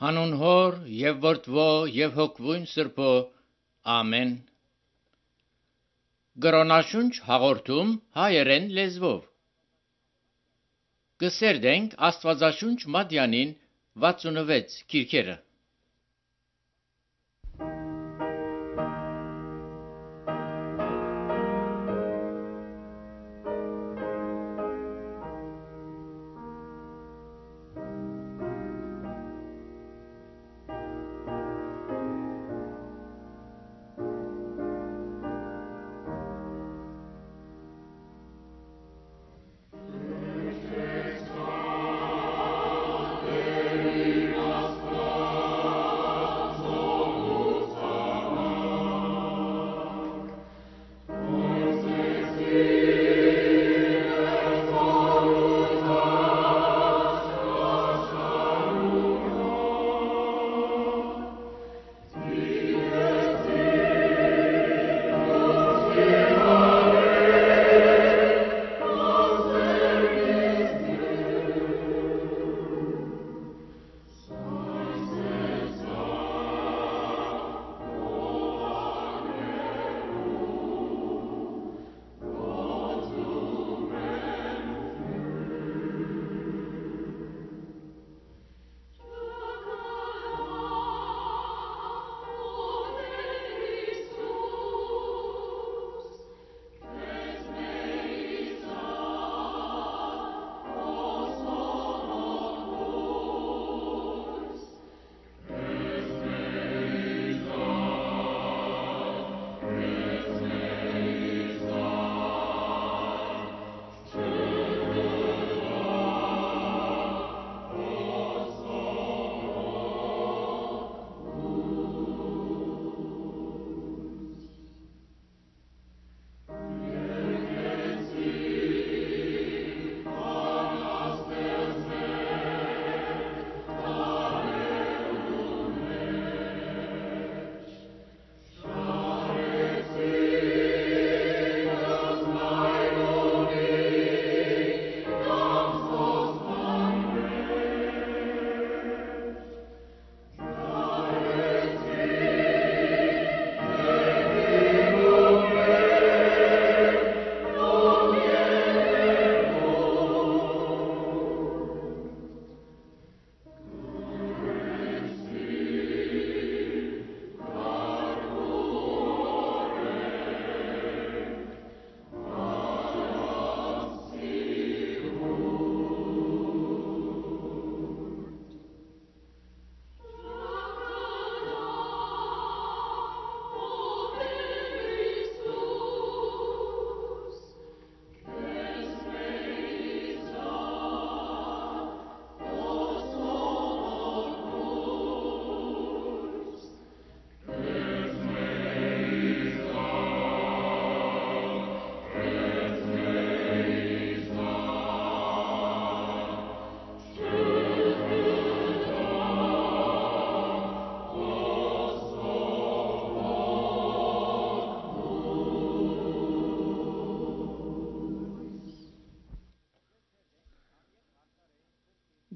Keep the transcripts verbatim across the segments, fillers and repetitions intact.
Հանուն Հոր եւ Որդվո եւ Հոգվույն Սրբո ամեն։ Գրոնաշունչ հաղորդում հայերեն լեզվով։ Կսերդենք Աստվածաշունչ Մատյանին վաթսունվեց քիրքերը։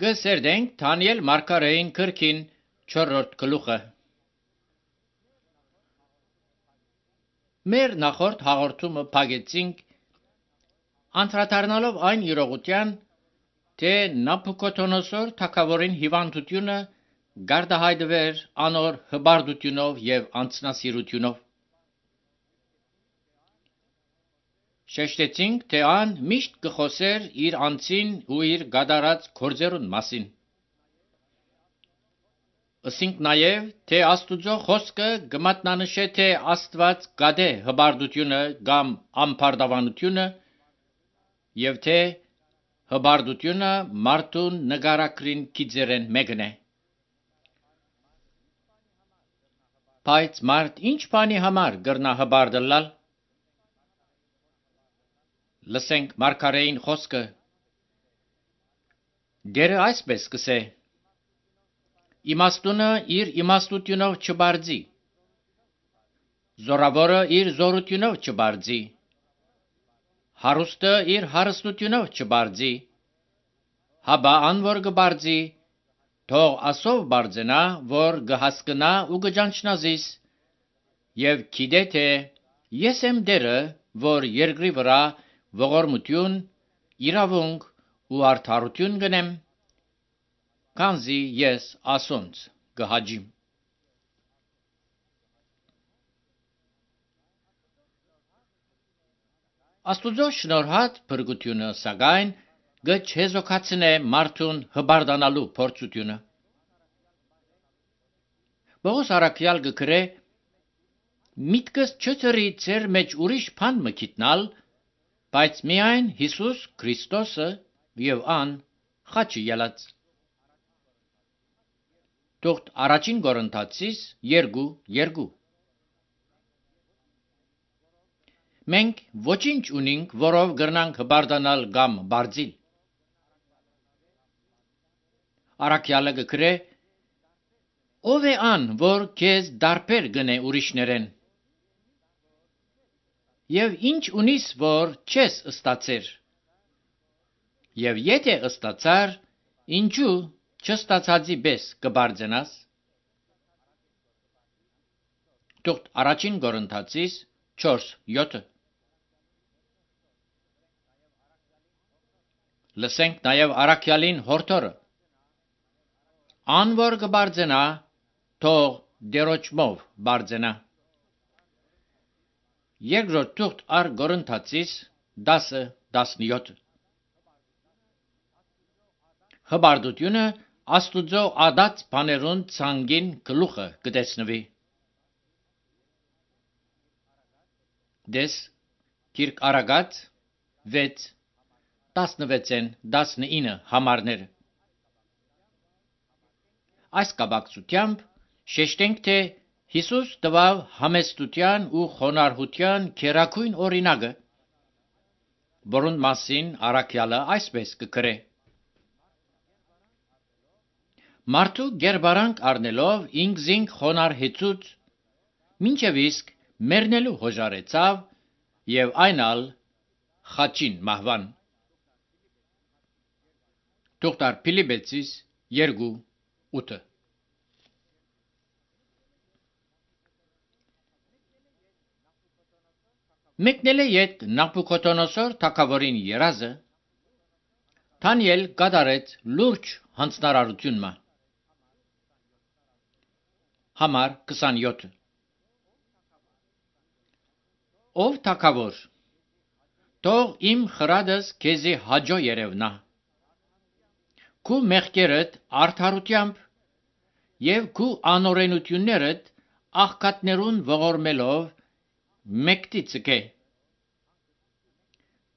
Գսերդենք Դանիել Մարգարեին քրքին չորրորդ գլուխը։ Մեր նախորդ հաղորդումը փակեցինք անդրադառնալով այն իրողության, թե Նաբուկոդոնոսոր թագավորին հիվանդությունը գարդահայտվեր անոր հբարդությունով եւ անձնասիրությունով։ Շեշտեցինք, թե ան միշտ կխոսեր իր անձին ու իր գադարած գործերուն մասին։ Ասինք նաև, թե Աստուծո խոսքը կմատնանշե, թե Աստված գադե հբարդությունը կամ ամբարտավանությունը եւ թե հբարդությունը մարդուն նկարակրին գիծերեն մեկն է։ Բայց մարդ ինչ բանի համար կրնա հբարդելալ։ Լսենք Մարգարեին խոսքը։ Դերը այսպես կսե. Իմաստունը իր իմաստությունով չբարձի, զորավորը իր զորությունով չբարձի, հարուստը իր հարստությունով չբարձի, հաբա անոր կբարձի, թող ասով բարձենա, որ գհասկնա ու գճանչնազիս, եւ գիտե թե ես եմ դերը, որ երկրի վրա ողորմություն, իրավունք ու արդարություն գնեմ, քանզի ես ասոնց գհաջիմ։ Աստուծո շնորհած փրկությունը սակայն գչեզոքացնե մարդուն հբարդանալու փորձությունը։ Պողոս առաքյալ գկրե միտքս չծրի ծեր մեջ ուրիշ բան մը գիտնալ, բայց միայն Հիսուս Քրիստոսը եւ ան խաչի ելած։ Թողտ առաջին Կորինթացիս երկու երկու Մենք ոչինչ ունենք, որով գրնանք հբարդանալ կամ բարձիլ։ Առաքյալը գկրե ով է ան, որ քեզ դարբեր գնե ուրիշներեն։ Եվ ինչ ունիս, որ չես ստացեր։ Եվ եթե ստացար, ինչու չստացածի պես կբարձենաս։ Թողտ առաջին Կորինթացիս չորս յոթ Լսենք նաև առաքյալին հորթորը։ Ան որ կբարձենա, թող դերոճմով բարձենա։ Երկրորդ թուղթ առ Կորինթացիս դասը տասնյոթ Հբարդությունը Աստուծո ադած բաներուն ցանգին գլուխը կտեսնվի։ Դես Կիրք Արագած վեց տասնվեցեն տասնինը համարներ։ Այս կապակցությամբ շեշտենք, թե Հիսուս տվավ համեստության ու խոնարհության քերակույն օրինակը, որոնց մասին առաքյալը այսպես կգրե. Մարդու գերբարանք առնելով ինքզինք խոնարհեցուց, մինչև իսկ մեռնելու հոժարեցավ եւ այնալ խաչին մահվան։ Թողտար Փիլիպեցիս երկու ութ Մեկնել է ետ Նաբուքոդոնոսոր թագավորին երազը, Դանիել կատարեց լուրջ հանձնարարություն մը։ Համար քսանյոթ Ով թագավոր, թող իմ խրադս քեզի հաջո երևնա, քու մեղքերդ արդարությամբ եւ քու անօրենություններդ աղքատներուն ողորմելով մեկտի ցկե,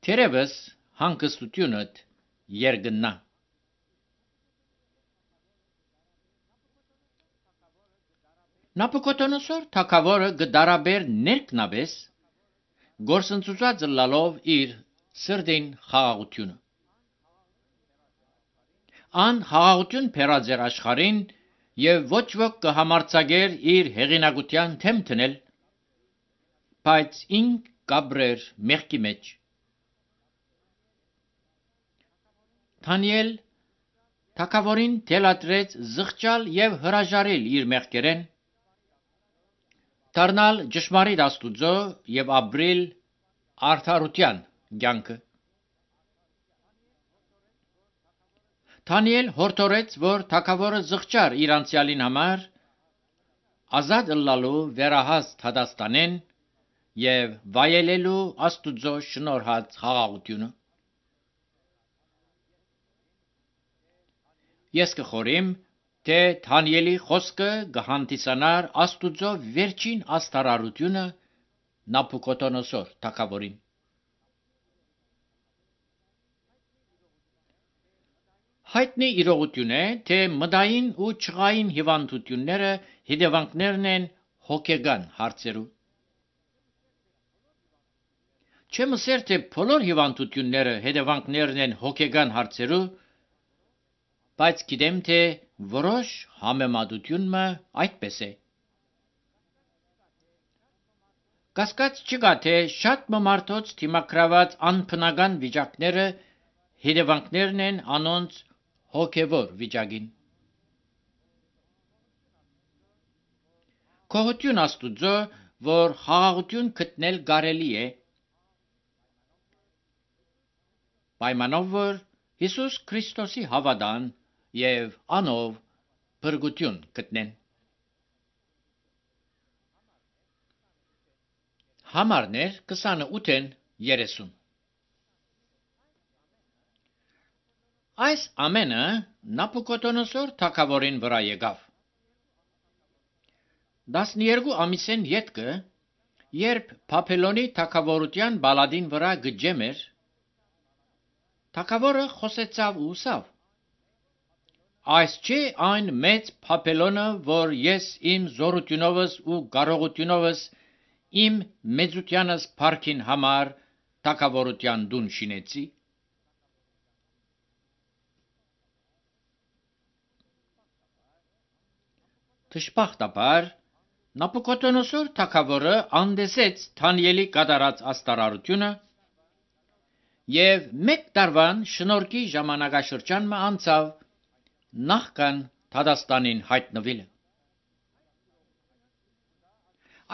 թերևս հանգստությունդ երգնա։ Նաբուքոդոնոսոր թագավորը գդարաբեր ներքնաբես գործընծուած լալով իր սրդին խաղաղությունը։ Ան խաղաղություն փերած էր աշխարհին եւ ոչ ոք կհամարցակեր իր հեղինակության թեմ տնել, բայց ինք կաբրեր մեղքի մեջ։ Դանիել թագավորին թելադրեց զղջալ եւ հրաժարել իր մեղքերեն, դառնալ ճշմարիտ Աստուծո եւ ապրել արդարության կյանքը։ Դանիել հորդորեց, որ թագավորը զղջար իր անցյալին համար, ազատ ըլլալու վերահաս հադաստանեն եւ վայելելու Աստուծո շնորհած խաղաղությունը։ Ես կխորիմ, թե Դանիելի խոսքը կհանդիսանար Աստուծո վերջին աստարարությունը Նաբուքոդոնոսոր թագավորին։ Հայտնի իրողություն է, թե մտային ու չղային հիվանդությունները հետևանքներն են հոգեգան հարցերու։ Չեմ ասեր, թե բոլոր հիվանդությունները հետևանքներն են հոգեգան հարցերու, բայց գիտեմ, թե որոշ համեմատությունը այդպես է։ Կասկած չկա, թե շատ մարդոց դիմակրաված անբնական վիճակները հետևանքներն են անոնց հոգևոր վիճակին։ Քողություն Աստուծո, որ խաղաղություն գտնել կարելի է, պայմանով որ Հիսուս Քրիստոսի հավատան եւ անով փրկություն գտնեն։ Համարներ քսանութ երեսուն Այս ամենը Նաբուկոդոնոսոր թագավորին վրա եկավ։ տասներկու ամիսեն ետքը, երբ Բաբելոնի թագավորության բալադին վրա գջեմ էր, թագավորը խոսեցավ ու ասավ. Այս չէ այն մեծ Բաբելոնը, որ ես իմ զորությունովս ու կարողությունովս իմ մեծությանս փառքին համար թագավորության դուն շինեցի։ Դժբախտաբար Նաբուկոդոնոսոր թագավորը անդեսեց Դանիելի կատարած աստարարությունը եւ մեկ տարվան շնորհքի ժամանակաշրջան մը անցավ նախքան Թադաստանին հայտնվելը։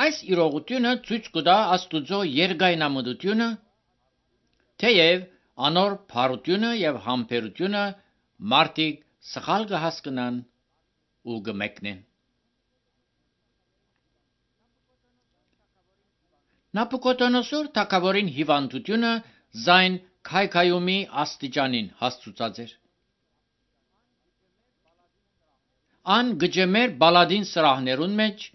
Այս իրողությունը ցույց կտա Աստուծո երկայնամտությունը, թեև անոր փառությունը եւ համբերությունը մարդիկ սխալ կհասկնան ու կմեկնեն։ Նաբուկոդոնոսոր թագավորին հիվանդությունը զայն քայքայումի աստիճանին հասցուցած էր։ Ան գջեմեր բալադին սրահներուն մեջ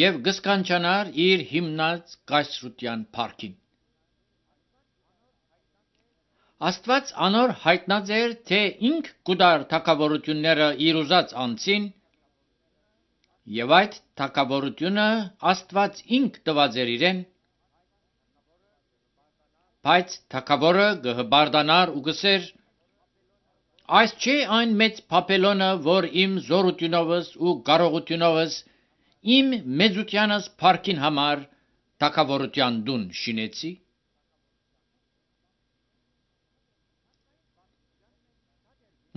եւ գսկանչանար իր հիմնած կայսրության փառքին։ Աստված անոր հայտնած էր, թե ինք կուտար թագավորությունները իր ուզած անցին, եւ այդ թագավորությունը Աստված ինք տված էր իրեն, բայց թագավորը գհբարդանար ու գսեր. Այս չէ այն մեծ Բաբելոնը, որ իմ զորությունովս ու կարողությունովս իմ մեծությանս փառքին համար թագավորության դուն շինեցի։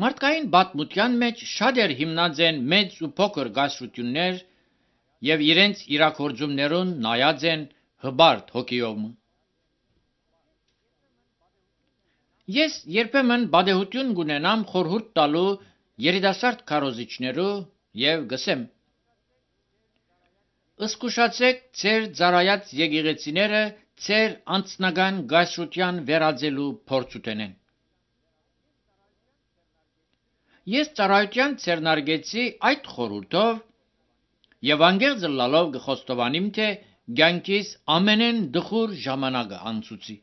Մարդկային պատմության մեջ շատեր հիմնած են մեծ ու փոքր գասրություններ եւ իրենց իրաքորձումներուն նայած են հբարդ հոգիով։ Ես երբեմն բադեհություն կունենամ խորհուրդ տալու երիտասարդ քարոզիչներու եւ գսեմ. Ըսկուշացեք ձեր ծառայած եկեղեցիները ձեր անձնական գայսրության վերածելու փորձ ունենեն։ Ես ծառայության ցերնարգեցի այդ խորհուրդով եւ անգերձ լալով գխոստովանիմ, թե ցանկիս ամենեն դխուր ժամանակը անցուցի։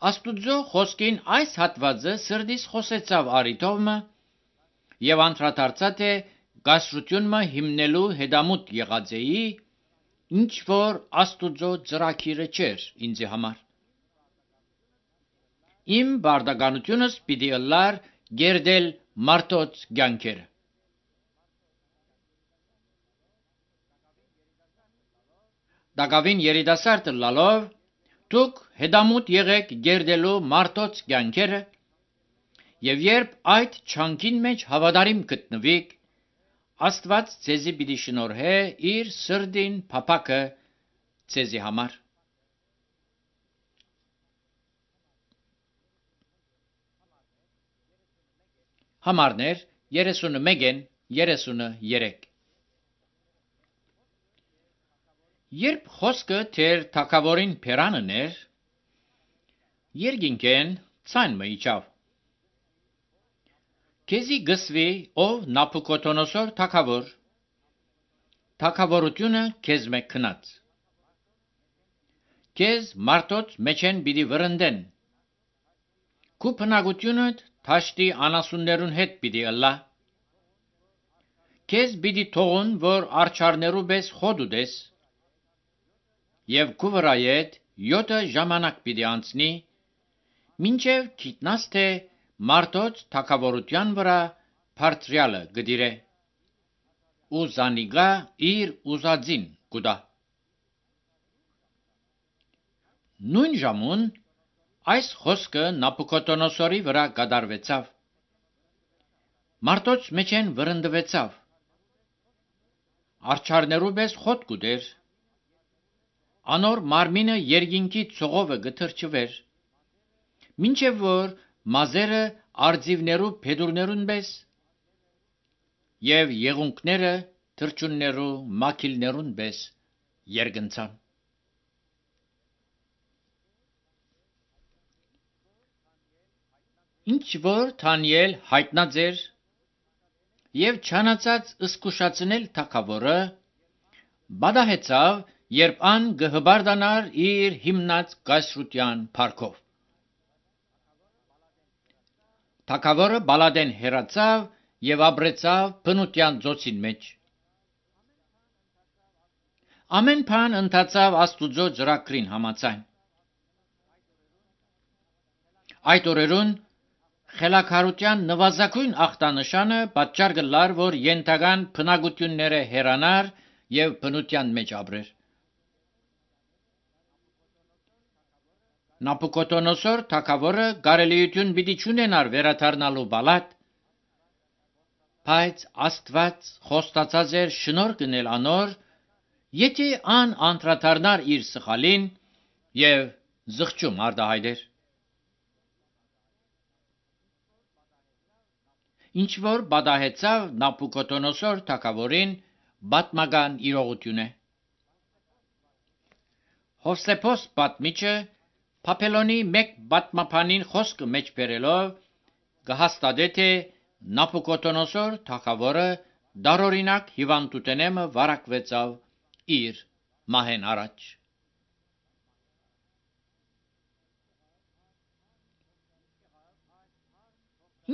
Աստուծո խոսքին այս հատվածը սրդիս խոսեցավ արիտովը եւ անդրադարձա թե գասրությունը հիմնելու հետամուտ եղած էի, ինչ որ Աստուծո ծրագիրը չէր ինձ համար։ Իմ բարդականությունս պիտի ըլլար գերդել մարդոց ցանկերը։ Դակավին երիտասարդ լալով դուք հետամուտ եղեք գերդելու մարդոց ցանկերը եւ երբ այդ չանկին մեջ հավատարիմ գտնվիք, Աստված ձեզի պիտի շնորհե իր սրդին փափակը ձեզի համար։ Համարներ երեսունմեկ երեսուներեք Երբ խոսքը թեր թագավորին փերանն էր, երկինքեն ցայն մը իջավ։ Քեզի գսվի, ով Նաբուկոդոնոսոր թագավոր, թագավորությունը քեզ մեկ քնած։ Քեզ մարդոց մեջեն պիտի վրընդեն։ Քու բնակությունդ թաշտի անասուններուն հետ պիտի ըլլա։ Քեզ պիտի թողուն, որ արջարներու պես խոդ ուտես, եւ քու վրայեդ յոթը ժամանակ պիտի անցնի, մինչև գիտնաս թե մարդոց թագավորության վրա բարձրյալը գդիրե, ու զանիգա իր ուզածին կուտա։ Նույն ժամուն այս խոսքը Նաբուկոդոնոսորի վրա կատարվեցավ։ Մարդոց մեջեն վրընդվեցավ արջարներու պես խոտ կուտեր, անոր մարմինը երկինքի ցողովը գթրջվեր, մինչև որ մազերը արձիվներու փեդուրներուն պես եւ եղունքները թրջուններու մակիլներուն պես երգնցան։ Ինչ որ Դանիել հայտնած էր եւ չանացած ըսկուշացնել թագավորը, բադահեցավ, երբ ան գհբարդանար իր հիմնած կայսրության փառքով։ Թագավորը Բալադեն հեռացավ եւ ապրեցավ բնության ծոցին մեջ։ Ամեն բան ընթացավ Աստուծո ծրագրին համաձայն։ Այդ օրերուն խելաքարության նվազագույն ախտանշանը պատճառ կլար, որ ենթական բնակությունները հեռանար եւ բնության մեջ ապրեր։ Նապուկոդոնոսոր թագավորը կարելիություն պիտի չունենար վերադառնալու Բալադ, բայց Աստված խոստացած էր շնորհ կնել անոր, եթե ան անդրադառնար իր սխալին եւ զղջում արտահայտեր։ Ինչ որ բադահեցավ Նապուկոդոնոսոր թագավորին պատմական իրողություն է։ Հովսեփոս պատմիչը Բաբելոնի մեկ պատմաբանին խոսքը մեջ բերելով կհաստատե, թե Նապուկոդոնոսոր թագավորը դարօրինակ հիվանդութենեմը վարակվեցավ իր մահեն առաջ։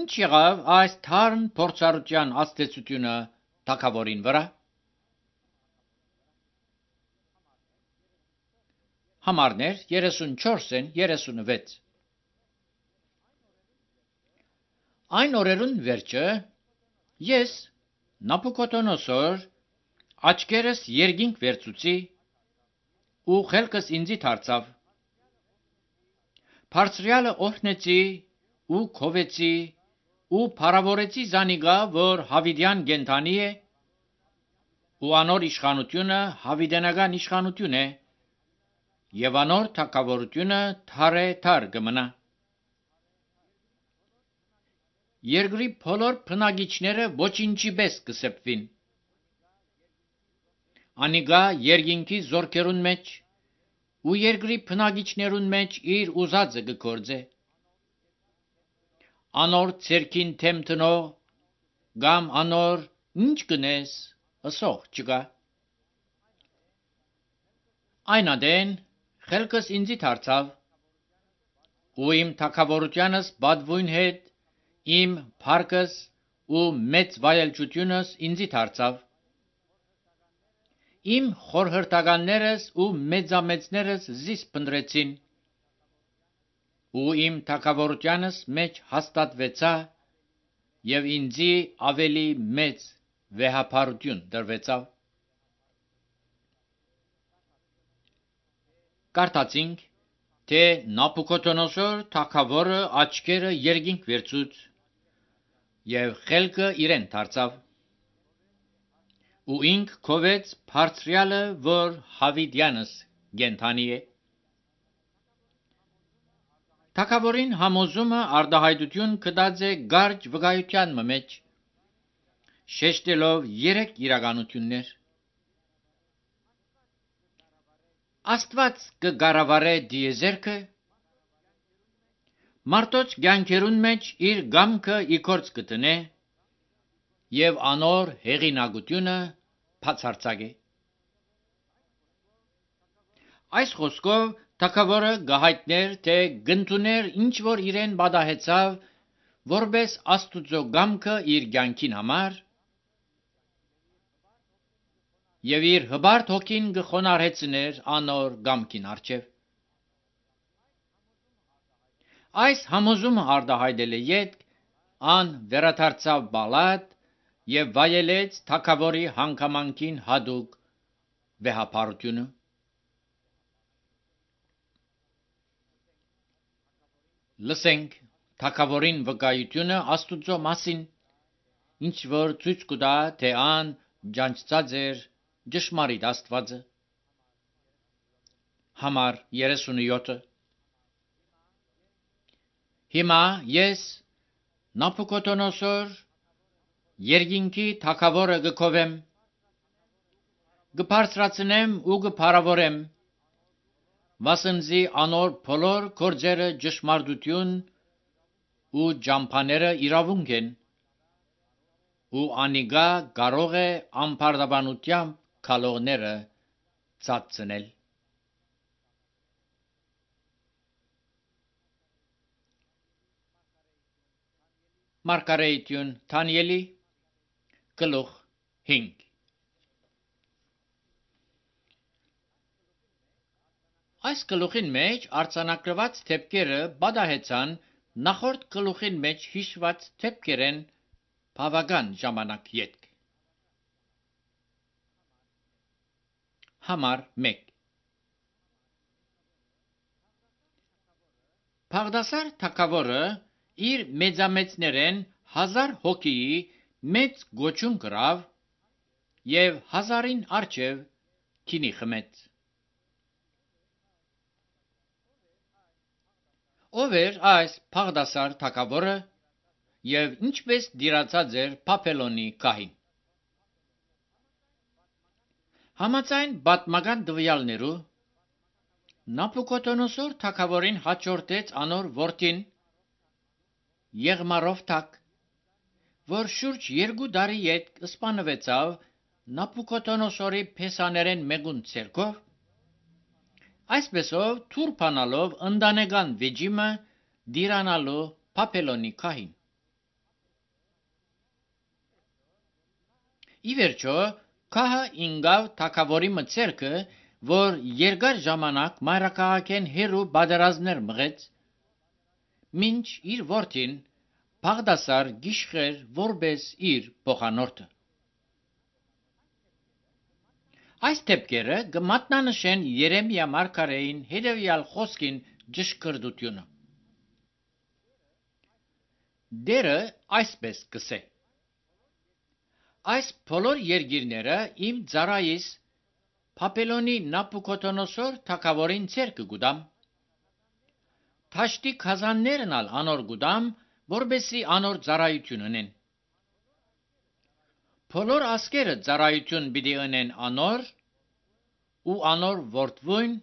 Ինչ եղավ այս թարմ փորձառության ազդեցությունը թագավորին վրա։ Համարներ երեսունչորսն երեսունվեց։ Այն օրերուն վերջը ես Նապուկոդոնոսոր աչքերս երկինք վերցուցի ու խելքս ինձի դարձավ։ Բարձրյալը օրհնեցի ու քովեցի ու փառավորեցի զանիգա, որ հավիդյան գենթանի է, ու անոր իշխանությունը հավիդենական իշխանություն է, եւ անոր թագավորությունը թարե թար կմնա։ Երկրի բոլոր բնակիչները ոչինչի պես կսեպվին։ Անիգա երկինքի զորքերուն մեջ ու երկրի բնակիչներուն մեջ իր ուզածը կգործե։ Անոր ցերքին թեմ տնող կամ անոր ինչ կնես ասող չկա։ Այն ադեն խելքս ինձի դարձավ, ու իմ թագավորությանս բադվույն հետ իմ փառքս ու մեծ վայելչությունս ինձի դարձավ։ Իմ խորհրդականներս ու մեծամեծներս զիս փնտրեցին, ու իմ թագավորությանս մեջ հաստատվեցա եւ ինձի ավելի մեծ վեհապարություն տրվեցավ։ Կարդացինք, թե Նապուկոդոնոսոր թագավորը աչքերը երկինք վերցուց եւ խելքը իրեն դարձավ, ու ինք քովեց բարձրյալը, որ հավիդյանս գենթանի է։ Թագավորին համոզումը արտահայտություն կդած է գարջ վկայության մեջ, շեշտելով երեք իրականություններ։ Աստված կգարավարե դիեզերքը, մարդոց կյանքերուն մեջ իր գամքը իգործ կտնե եւ անոր հեղինակությունը բացարձակ է։ Այս խոսքով թագավորը գահայտներ, թե գնդուներ ինչ որ իրեն բադահեցավ, որպես Աստուծո գամքը իր կյանքին համար, եւ իր հբարդ հոգին գխոնարհեցներ անոր գամքին արչեւ։ Այս համոզումը արտահայտել է յետ, ան վերադարձավ Բալադ եւ վայելեց թագավորի հանգամանքին հադուկ վեհապարությունը։ Լսենք թագավորին վկայությունը Աստուծո մասին, ինչ որ ցույց կտա, թե ան ջանցած էր ճշմարիտ Աստվածը։ Համար երեսունյոթ Հիմա ես Նաբուկոդոնոսոր երկինքի թագավորը գկովեմ, գբարձրացնեմ ու գփարավորեմ, վասնզի անոր բոլոր գործերը ճշմարտություն ու ճամփաները իրավունք են, ու անիգա կարող է ամբարտավանությամբ քալողները ծածցնել։ Մարգարեություն Դանիելի գլուխ հինգ Այս գլուխին մեջ արձանագրված թեփքերը բադահեցան նախորդ գլուխին մեջ հիշված թեփքերեն բավական ժամանակ յետք։ Համար մեկ Բաղդասար թագավորը իր մեծամեծներեն հազար հոգիի մեծ գոչուն կրավ և հազարին առջև քինի խմեց։ Ով էր այս Բաղդասար թագավորը և ինչպես դիրացած էր Բաբելոնի գահին։ Համաձայն պատմական տվյալներու Նաբուկոդոնոսոր թագավորին հաջորդեց անոր որդին Եղմարովթակ, որ շուրջ երկու տարի յետք սպանվեցավ Նաբուկոդոնոսորի փեսաներեն մեկուն ցերկով, այսպեսով թուր բանալով ընտանեկան վեճիմը դիրանալու Բաբելոնի գահին։ Ի վերջո գահը ինգավ թագավորի մցերքը, որ երկար ժամանակ մայրաքաղաքեն հերու պատերազմներ մղեց, մինչ իր որդին Բաղդասար գիշխեր որպես իր փոխանորդը։ Այս թեփքերը կմատնանշեն Երեմիա մարգարեին հետևյալ խոսքին ճշգրտությունը։ Դերը այսպես կսե. Այս բոլոր երկիրները իմ ծառայիս Բաբելոնի Նաբուկոդոնոսոր թագավորին ցերկը գուտամ, թաշտի քազաններն ալ անոր գուտամ, որբեսի անոր ծառայություն ունեն։ Բոլոր ասկերը ծառայություն պիտի ունեն անոր, ու անոր որդվույն,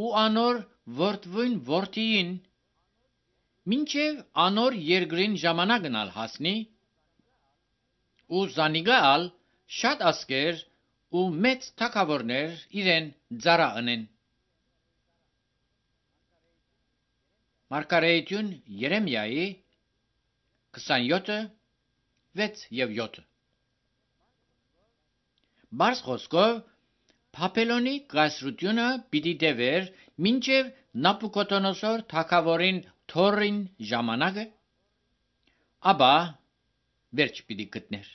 ու անոր որդվույն որդիին, մինչև անոր երկրին ժամանակն ալ հասնի, ու զանիգա ալ շատ ասկեր ու մեծ թագավորներ իրեն ծառա ունեն։ Մարգարեություն Երեմիայի քսանյոթ վեց և յոթ Բարձ խոսքով Բաբելոնի կայսրությունը պիտի տևեր մինչև Նաբուկոդոնոսոր թագավորին թորին ժամանակը, ապա վերջ պիտի գտներ։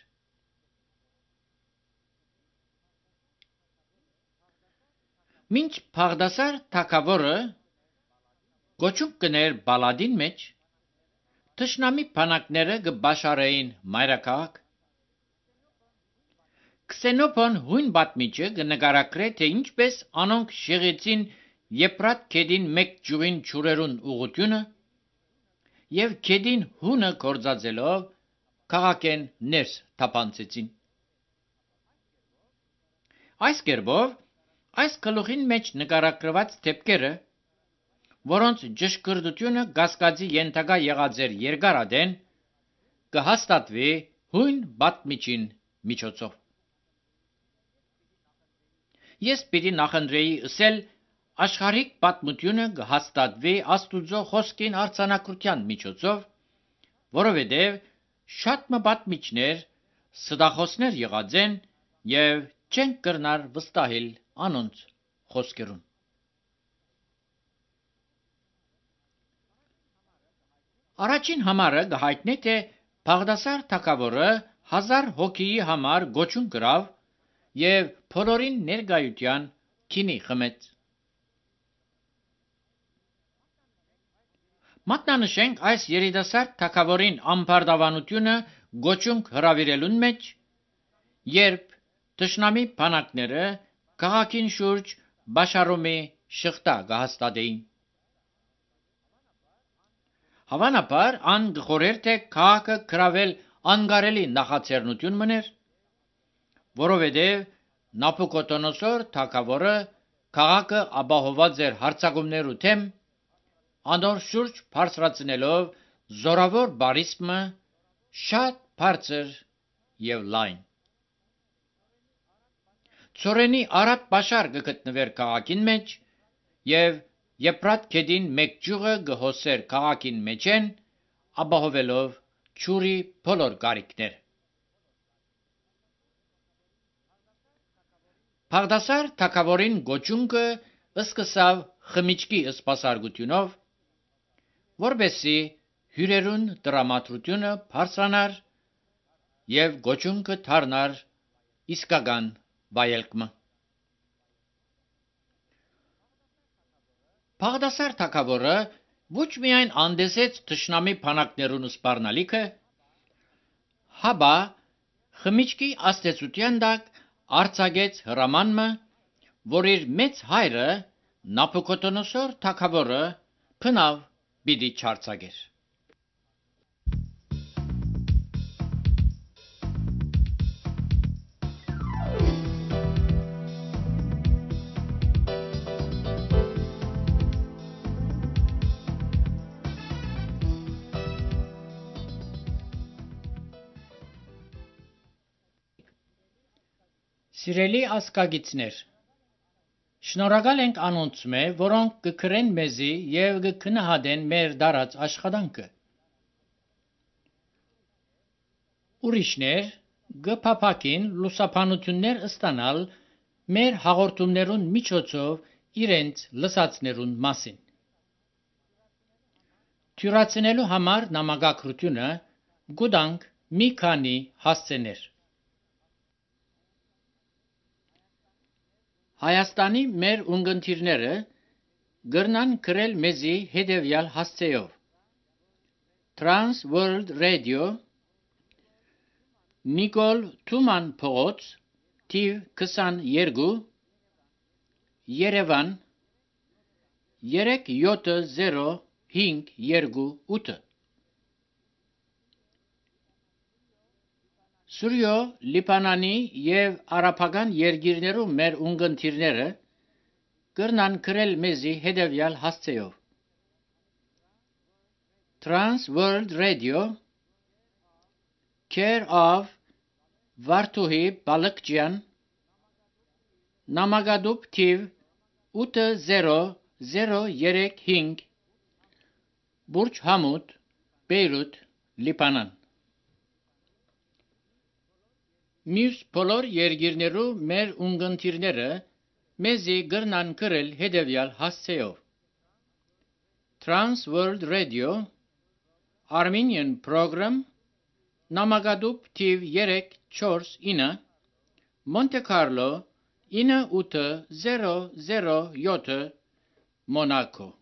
Մինչ Բաղդասար թագավորը գոչուն կներ բալադին մեջ, թշնամի բանակները կբաշարեին մայրաքաղաք։ Քսենոփոն հույն պատմիչը կնկարագրե, թե ինչպես անոնք շեղեցին Եփրատ գետին մեկ ճյուղին ջուրերուն ուղղությունը և գետին հունը գործածելով քաղաքեն ներս թափանցեցին։ Այս կերպով այս գլուխին մեջ նկարագրված թեփքերը, որոնց ճշգրտությունը կասկածի ենթակա եղած էր երկարատեն, կհաստատվի հույն պատմիչին միջոցով։ Ես պիտի նախընտրեի ասել աշխարհիկ պատմությունը կհաստատվի Աստուծո խոսքին արձանագրության միջոցով, որովհետև շատ մը պատմիչներ ստախոսներ եղած են և չեն կրնար վստահել անոնց խոսքերուն։ Առաջին համարը կհայտնի, թե Բաղդասար թագավորը հազար հոգիի համար գոչուն կրավ և բոլորին ներկայության քինի խմեց։ Մատնանշենք այս երիտասարդ թագավորին ամբարտավանությունը գոչունք հրավիրելուն մեջ, երբ Տշնամի բանակները քաղաքին շուրջ Բաշարոմի շղթա կհաստատեին։ Հավանաբար ան գխորեր թե քաղաքը գրավել անկարելի նախաձեռնություն մներ, որովհետև Նաբուկոդոնոսոր թագավորը քաղաքը ապահոված էր հարձակումներու դեմ, անոր շուրջ բարձրացնելով զորավոր բարիսմը շատ բարձր եւ լայն։ Ծորենի արաբ բաշար կգտնվեր քաղաքին մեջ եւ Եփրատ գետին մեկ ճյուղը գհոսեր քաղաքին մեջեն, ապահովելով ջուրի բոլոր կարիքները։ Բաղդասար թագավորին գոչունքը սկսավ խմիչքի սպասարկությունով, որբեսի հյուրերուն տրամադրությունը բարձրանար եւ գոչունքը դառնար իսկական վայելքը։ Բաղդասար թագավորը ոչ միայն անդեսեց թշնամի բանակներուն սպառնալիքը, հաբա խմիչքի աստեցության տակ արձակեց հրամանը, որ իր մեծ հայրը Նաբուկոդոնոսոր թագավորը փնավ պիտի չարձակեր։ Սիրելի ասկագիցներ, շնորհակալ ենք անոնցմե, որոնք կգրեն մեզի եւ կգնահատեն մեր դարած աշխատանքը։ Ուրիշներ կփափակին լուսաբանություններ ստանալ մեր հաղորդումներուն միջոցով իրենց լսածներուն մասին։ Թյուրացնելու համար նամակագրությունը գուտանք մի քանի հասցեներ։ Հայաստանի մեր ունգընտիրները գրնան գրել մեզի հետևյալ հասցեով. Trans World Radio, Նիկոլ Թուման փողոց, թիվ քսաներկու, Երևան երեք յոթ զիրո հինգ երկու ութ։ Սուրյո Լիբանանի եւ արաբական երկիրներու մեր ունգընտիրները կրնան գրել մեզի հետևյալ հասցեով. Trans World Radio, Care of Վարդուհի Բալկջյան, Նամակադուբ թիվ ութ զիրո զիրո երեք հինգ, Բուրջ Համուդ, Բեյրութ, Լիբանան։ Մյուս բոլոր երկիրներու մեր ունգընտիրները մեզի գրնան գրել հետևյալ հասցեով. Trans World Radio, Armenian Program, Նամակադուբ թիվ երեք չորս ինը, Monte Carlo ինը ութ զիրո զիրո յոթ, Monaco։